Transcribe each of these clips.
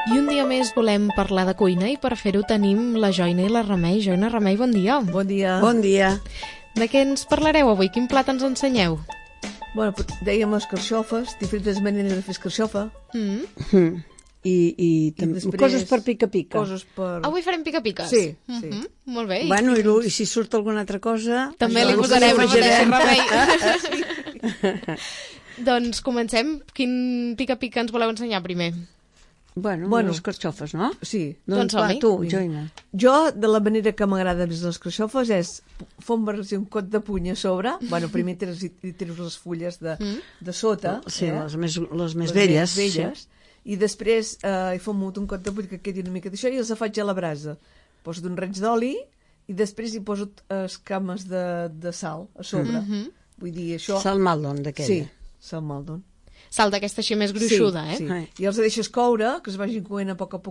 I un dia més volem parlar de cuina i per fer-ho tenim la Joina i la Remei. Joina, Remei, bon dia. Bon dia. Bon dia. De què ens parlareu avui? Quin plat ens ensenyeu? Bueno, dèiem escarxofes, diferents maneres de fer escarxofa. I després coses per pica-pica. Coses per... Avui farem pica-piques? Sí, sí. Molt bé. Bueno, i si surt alguna altra cosa... També li posarem la mateixa Remei. Doncs comencem. Quin pica-pica ens voleu ensenyar primer? Bueno, les escarxofes, no? Sí. Doncs va, som-hi. tu, Joina. Jo, de la manera que m'agrada més les escarxofes és fondre-hi un cot de puny a sobre. Bueno, primer treus les fulles de sota. Sí, les més les velles. Més velles. I després hi fomo un cot de puny que quedi una mica d'això i els faig a la brasa. Poso d'un raig d'oli i després hi poso escames de sal a sobre. Vull dir, això... Sal Maldon, d'aquella. Sí, sal Maldon. Sal d'aquesta així més gruixuda, sí. eh? I els deixes coure, que es vagin coent a poc, A la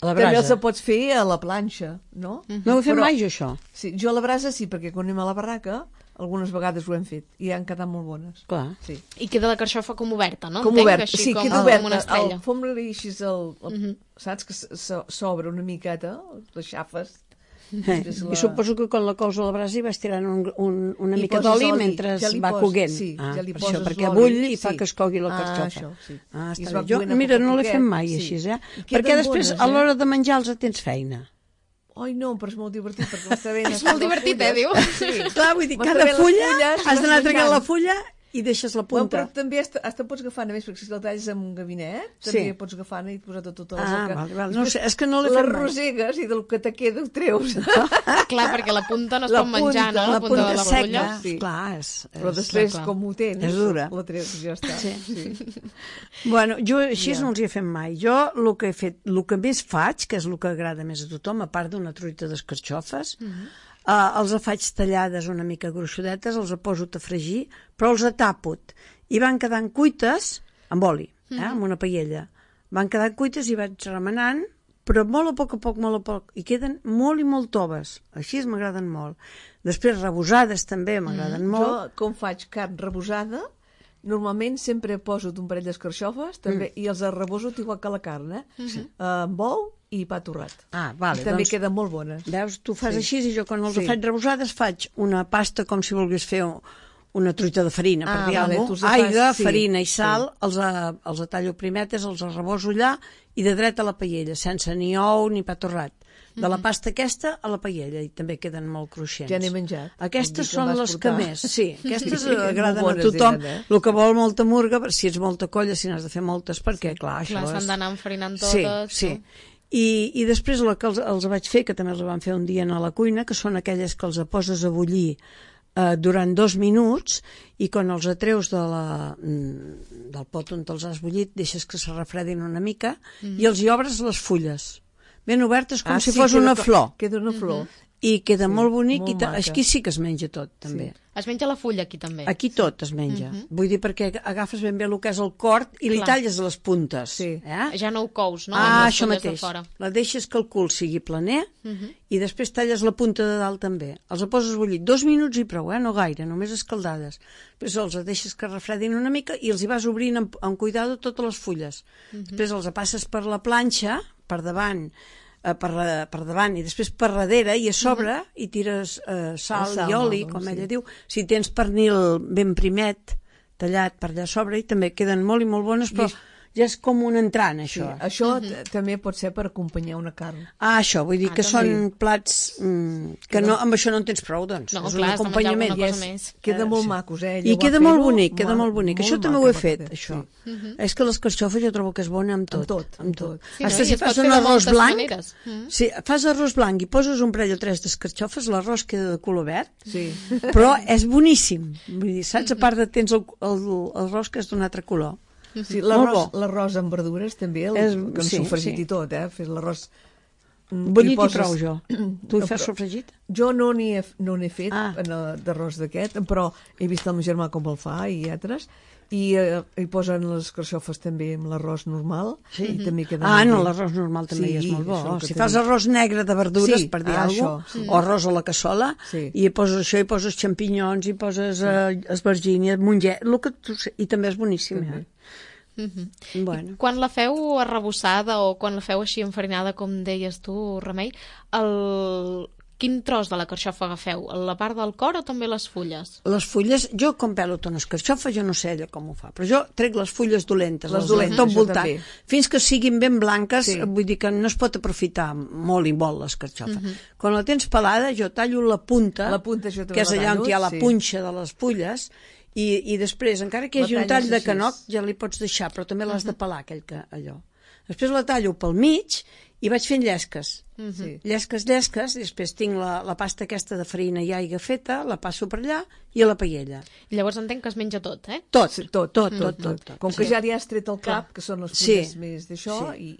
També brasa. els pots fer a la planxa, no? No ho he fet mai, jo, això. Sí, jo a la brasa sí, perquè quan anem a la barraca algunes vegades ho hem fet i han quedat molt bones. Clar. Sí. I queda la carxofa com oberta, no? Com Entenc, obert, així sí, com, queda com oberta. una estrella. El fondre-li així, saps que s'obre una miqueta, les xafes. I suposo que quan la cous a la brasa hi vas tirant una I mica poses d'oli oli, mentre ja li va poses, coguent. sí, ja li per poses això, perquè l'oli, bull i fa sí. que es cogui la carxofa. Això, sí. I es Està va bé. Jo, coent a mira, poc a no l'he poquet, fet mai sí. així, I Perquè queden després, bones, a l'hora de menjar-los, tens feina. Ai, no, però és molt divertit, perquè m'està bé... És molt divertit, diu? Sí. Clar, vull dir, M'està cada bé les fulla fulles, has d'anar vas traient la menjant. fulla i deixes la Bueno, punta. però també hasta pots agafar, a més, perquè si la talles amb un gabinet, també pots agafar i posar tota la seca. Val. No sé, és que no l'he fet Les mai. rosegues i del que te queda ho treus. Clar, perquè la punta no es La pot menjar, no? punta, La punta de la seca, fulla. sí. clar, Però després, clar. com ho tens, És dura. la treus i ja està. Sí. Bueno, jo així no els hi he fet mai. Jo el que he fet, el que més faig, que és el que agrada més a tothom, a part d'una truita d'escarxofes, els faig tallades una mica gruixudetes, els poso a fregir, però els tapo i van quedant cuites amb oli, amb una paella. Van quedant cuites i vaig remenant, però molt a poc, i queden molt i molt toves. Així m'agraden molt. Després rebosades també m'agraden molt. Jo, com faig carn rebosada, normalment sempre poso un parell d'escarxofes també, i els reboso igual que la carn, amb ou i pa torrat. Vale, I també doncs, queden molt bones. veus, tu fas així i jo quan els Sí. faig rebosades faig una pasta com si volgués fer una truita de farina, per dir vale, alguna tu cosa. els fas- Aigua, sí, farina i sal, sí. els tallo primetes, els reboso allà i de dret a la paella, sense ni ou ni pa torrat. De la pasta aquesta a la paella i també queden molt cruixents. Ja n'he menjat. Aquestes Vol dir que són em vas les que portar. més, sí, aquestes Sí, agraden molt a bones tothom. eren, El que vol molta murga, si ets molta colla, si n'has de fer moltes, perquè clar, això Clar, s'han és... d'anar enfarinant Sí, totes. sí. no? I després el que els vaig fer, que també els van fer un dia a la cuina, que són aquelles que els poses a bullir durant 2 minuts i quan els atreus del pot on els has bullit deixes que se refredin una mica i els hi obres les fulles ben obertes com si fos una flor Queda una flor. i queda molt bonic molt i maca. aquí sí que es menja tot també. Es menja la fulla aquí també. Aquí tot es menja. Vull dir, perquè agafes ben bé el que és el cort i li Clar. talles les puntes. Sí. Ja no ho cous, no? Amb les Això fulles de mateix. fora. La deixes que el cul sigui planer i després talles la punta de dalt també. Els poses a bullir 2 minuts i prou, no gaire, només escaldades. Després els deixes que refredin una mica i els hi vas obrint amb cuidado totes les fulles. Després els passes per la planxa, per davant, per davant i després per darrere i a sobre i tires sal i oli, com ella diu. Si tens pernil ben primet, tallat per allà a sobre i també queden molt i molt bones, però ja és com un entrant, Sí, això. això també pot ser per acompanyar una carn. Això, vull dir que són plats que no, amb això no en tens prou, doncs. No, és clar, un has de menjar acompanyament. alguna cosa més. Queda molt macos, I Ella ho queda va molt fer-ho, bonic, queda molt bonic. Això també ho he fet, maca, això. sí. És que l'escarxofa jo trobo que és bona amb tot. Amb tot. Sí, no? Hasta I si es pot fas fer un de arròs moltes blanc, maneres. si fas arròs blanc i poses un parell o 3 d'escarxofes, l'arròs queda de color verd, Sí. però és boníssim. Vull dir, saps? A part de tens l'arròs que és d'un altre color. Sí, Molt bo. l'arròs amb verdures també, que sí, sofregit sí. i tot, Fes l'arròs... Bullit poses- i prou, jo. Tu hi No, fas però- sofregit? Jo no n'he fet Ah. d'arròs d'aquest, però he vist el meu germà com el fa i altres, i hi posen les carxofes també amb l'arròs normal, i també queda molt No, bé. l'arròs normal també Sí, és molt bo. això que Si t'he fas dit. arròs negre de verdures, Sí, per dir això, alguna cosa, o arròs a la cassola, Sí. i hi poses això, hi poses xampinyons, hi poses esvergínia, monget, i també és boníssim. Bueno. Quan la feu arrebossada o quan la feu així enfarinada, com deies tu, Remei, quin tros de la carxofa agafeu? La part del cor o també les fulles? Les fulles, jo com pelo tones carxofa, jo no sé ella com ho fa, però jo trec les fulles dolentes, Les dolentes, tot jo voltant, també. fins que siguin ben blanques, Sí. vull dir que no es pot aprofitar molt i molt les carxofes. Quan la tens pelada, jo tallo la punta, La punta jo també que és la allà on tallo, hi ha la sí. punxa de les fulles, i després, encara que hi hagi La un tall talles de així. canoc, ja li pots deixar, però també l'has de pelar, allò. Després la tallo pel mig i vaig fent llesques. Sí. Llesques, i després tinc la pasta aquesta de farina i aigua feta, la passo per allà i a la paella. Llavors entenc que es menja tot, eh? Tot, Sí, tot. Com que ja li has tret el cap, que són les fulles Sí. més d'això, i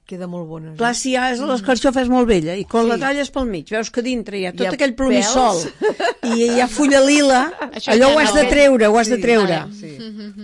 queda molt bona. Clar, si ja és la carxofa és molt vella i quan Sí. la talles pel mig, veus que dintre hi ha tot Hi ha aquell plomissol pèls. i hi ha fulla lila, Això allò ja ho has no. de treure, ho has de Sí, treure. vale, sí.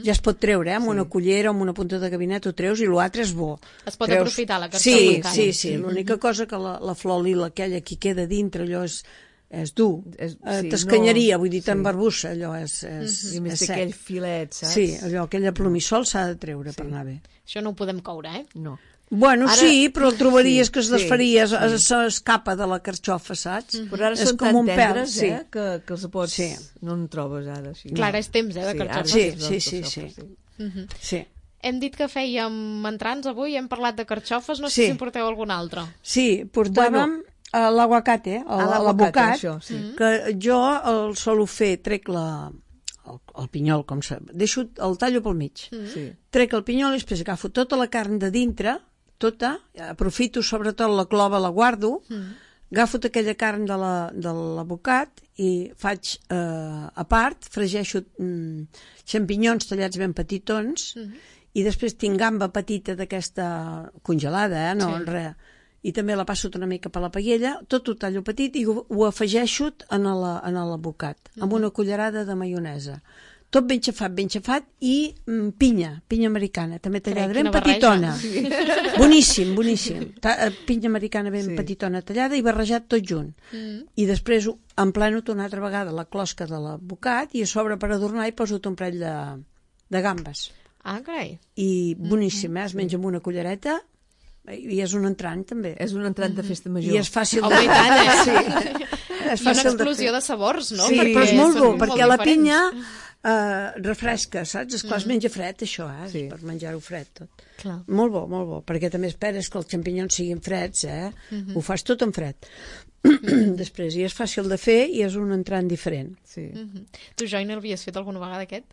Ja es pot treure, amb una cullera, amb una punta de gabinet, ho treus i l'altre és bo. Es pot Treus- aprofitar la carxofa Sí, encara. sí. L'única cosa que la flor lila, aquella que queda dintre, allò és dur. Sí, T'escanyaria, no, vull dir, sí. t'embarbussa, allò és I a més és té sec. aquell filet, saps? Sí, allò, aquella plomissol s'ha de treure per anar bé. Això no ho podem coure, eh? No. Bueno, Ara- sí, però el trobaries sí, que es sí, desfaria, sí. s'escapa de la carxofa, saps? Però ara És són com tan un pèl, tendres, sí. que els pots... Sí. No en trobes ara. Així. Clar, ara és temps, de carxofes. ara Sí, és temps de sí, carxofes, sí. Sí. Hem dit que fèiem entrants avui, hem parlat de carxofes, no sé Sí. si en porteu algun altre. Sí, portàvem l'aguacate, l'abocat, això, sí. que jo el solo fer, trec el pinyol, com se... deixo el tallo pel mig. Sí. Trec el pinyol i després agafo tota la carn de dintre, tota, aprofito sobretot la clova, la guardo, agafo tota aquella carn de l'abocat i faig a part, fregeixo xampinyons tallats ben petitons i després tinc gamba petita d'aquesta congelada, no, Sí. res, i també la passo una mica per la paella, tot ho tallo petit i ho afegeixo en l'abocat, amb una cullerada de maionesa. Tot ben xafat i pinya americana, també tallada ben quina barreja. petitona. Boníssim. Pinya americana ben Sí. petitona tallada i barrejat tot junt. I després empleno una altra vegada la closca de l'abocat i a sobre per adornar hi poso un parell de gambes. Ah, carai. I boníssim, es menja amb una cullereta i és un entrant també. És un entrant de festa major. I és fàcil Home, i tant, eh? Sí. És I una fàcil explosió fer. de sabors, no? Sí, Perquè però és molt bo, són perquè la diferents. pinya refresca, saps? Esclar, es menja fred, això, Sí. per menjar-ho fred tot. Clar. Molt bo, perquè també esperes que els xampinyons siguin freds, Ho fas tot en fred. Després, i és fàcil de fer i és un entrant diferent. Sí. Tu, Joyner, havies fet alguna vegada aquest?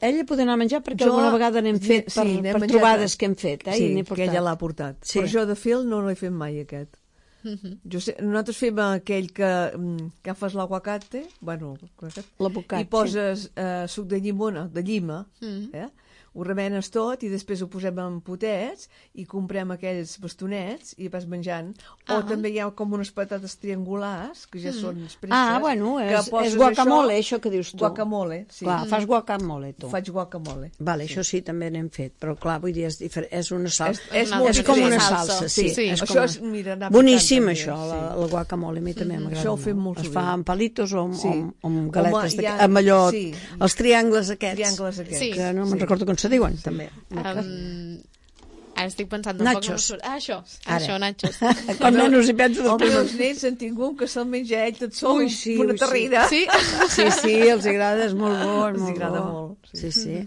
Ella pot anar a menjar perquè Jo- alguna vegada n'hem fet sí, per n'hem menjat- trobades que hem fet, Sí, i n'he que portat. ella l'ha portat. Sí. Però jo de fil no l'he fet mai, aquest. Nosaltres fem aquell que agafes l'aguacate, bueno, L'abocat, i poses suc de llimona, de llima, ho remenes tot i després ho posem en potets i comprem aquells bastonets i vas menjant. O també hi ha com unes patates triangulars, que ja són presses. Bueno, que és poses guacamole, això que dius tu. Guacamole, sí. Clar, fas guacamole, tu. Faig guacamole. Vale, això sí, també n'hem fet, però clar, vull dir, és una salsa. És una molt altra És com una salsa. salsa, sí. Sí. És Això com és, mira, anar boníssim, picant, això, també, la guacamole, a mi també m'agrada Això ho fem molt Es sovint. fa amb palitos o amb, Sí. amb galetes, Home, amb allò, sí. els triangles aquests, Triangles aquests. Sí. que no me'n recordo com se diuen, també. Ara estic pensant... Nachos. Això, Ara. nachos. Com menys hi penso Els després. meus nens han tingut un que se'l menja ell tot sol, Ui, sí, una ui, sí. terrida. Sí? Sí, els agrada, és molt bo, és Els molt agrada bo. molt, Sí, sí.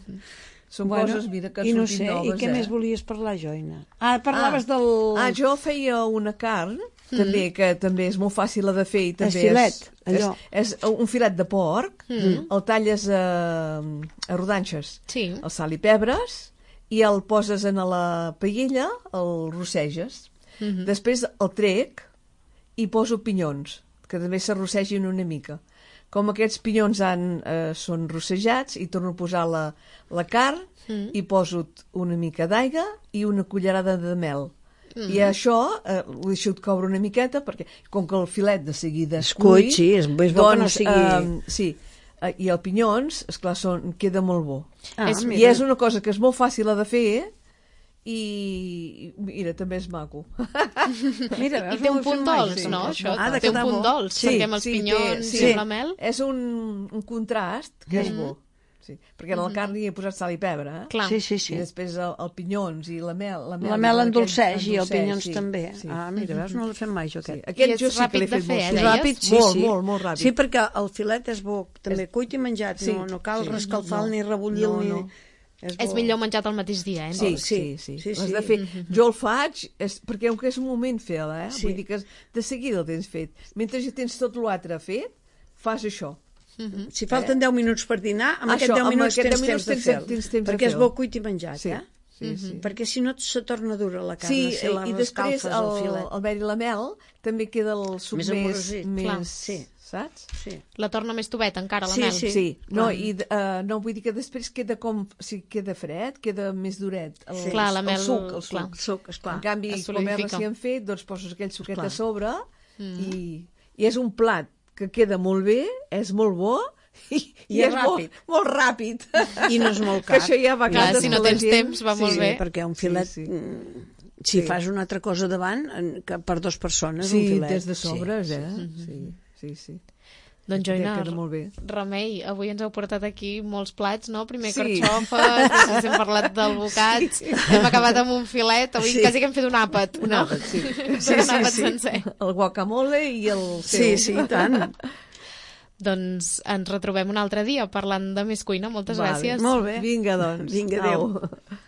Són coses, mira, que i no surtin sé, noves, i què més volies parlar, Joina? Parlaves del... Jo feia una carn, també, que també és molt fàcil de fer. I també filet, allò. És un filet de porc, el talles a rodanxes, Sí. el sal i pebres, i el poses en la paella, el rosseges. Després el trec i poso pinyons, que també s'arrossegin una mica. Com aquests pinyons són rossejats, i torno a posar la carn i poso una mica d'aigua i una cullerada de mel. I això ho deixo coure una miqueta, perquè com que el filet de seguida es cuit, sí, és bo que no sigui... sí, i els pinyons, esclar, queda molt bo. És- I és una cosa que és molt fàcil de fer i mira, també és maco. Mira, I veus, té no ho un he punt fet mai, dolç, sí. no? Això Ha de té un quedar punt bo. dolç, Sí, perquè amb els pinyons sí, i amb la mel... És un contrast que és bo. sí. Perquè la carn hi he posat sal i pebre, Clar. Sí, sí, I sí. després el pinyons i la mel. La mel endolceix i el pinyons sí, també. sí. Ah, mira, veus, no l'he fet mai jo Sí. aquest. Aquest I jo és sí que ràpid l'he de fet fer, molt. deies? Ràpid, sí, molt, sí. molt ràpid. Sí, perquè el filet és bo, també cuit i menjat, Sí, no cal sí. rescalfar-lo No. ni rebullir-lo. No, ni... no. És millor menjat al mateix dia, Sí, Sí, sí. sí, L'has sí. de fer. Jo el faig, perquè aunque és un moment fer-la, Sí. vull dir que de seguida el tens fet. Mentre ja tens tot l'altre fet, fas això. Si falten 10 minuts per dinar, amb Això, aquests 10 amb minuts aquests tens 10 temps de minuts fer-lo. tens temps de Perquè és fer-lo. bo cuit i menjat, Sí, eh? sí. Perquè si no se torna dura la carn, Sí, si la i després rescalfes el filet. el ver i la mel també queda el suc Més amorosit. Clar. Sí. saps? Sí. La torna més tubet encara, la Sí, mel. sí. Sí, no, Clar. i no vull dir que després queda com, si queda fred, queda més duret. Sí. Clar, la mel, el suc. clar. El suc, esclar. En canvi, Es com és solidifica. recient fet, doncs poses aquell suquet Esclar. a sobre i és un plat que queda molt bé, és molt bo i és és molt, ràpid. molt ràpid. I no és molt Que car. això ja va Clar, cantar si no la tens gent. temps, va molt bé. Perquè un filet... Sí, sí. Si Sí. fas una altra cosa davant, que per 2 persones, un Sí, filet... des de sobres, sí, eh? Sí. Doncs Joina, Queda molt bé. Remei, avui ens heu portat aquí molts plats, no? Primer Sí. carxofes, després hem parlat del bocat, hem acabat amb un filet, avui Sí. quasi que hem fet un àpat, Un no? àpat, sí. Un àpat sencer. El guacamole i el Sí, sí, i tant. Doncs ens retrobem un altre dia parlant de més cuina. Moltes Vale. gràcies. Molt bé. Vinga, doncs. Vinga, adéu. Au.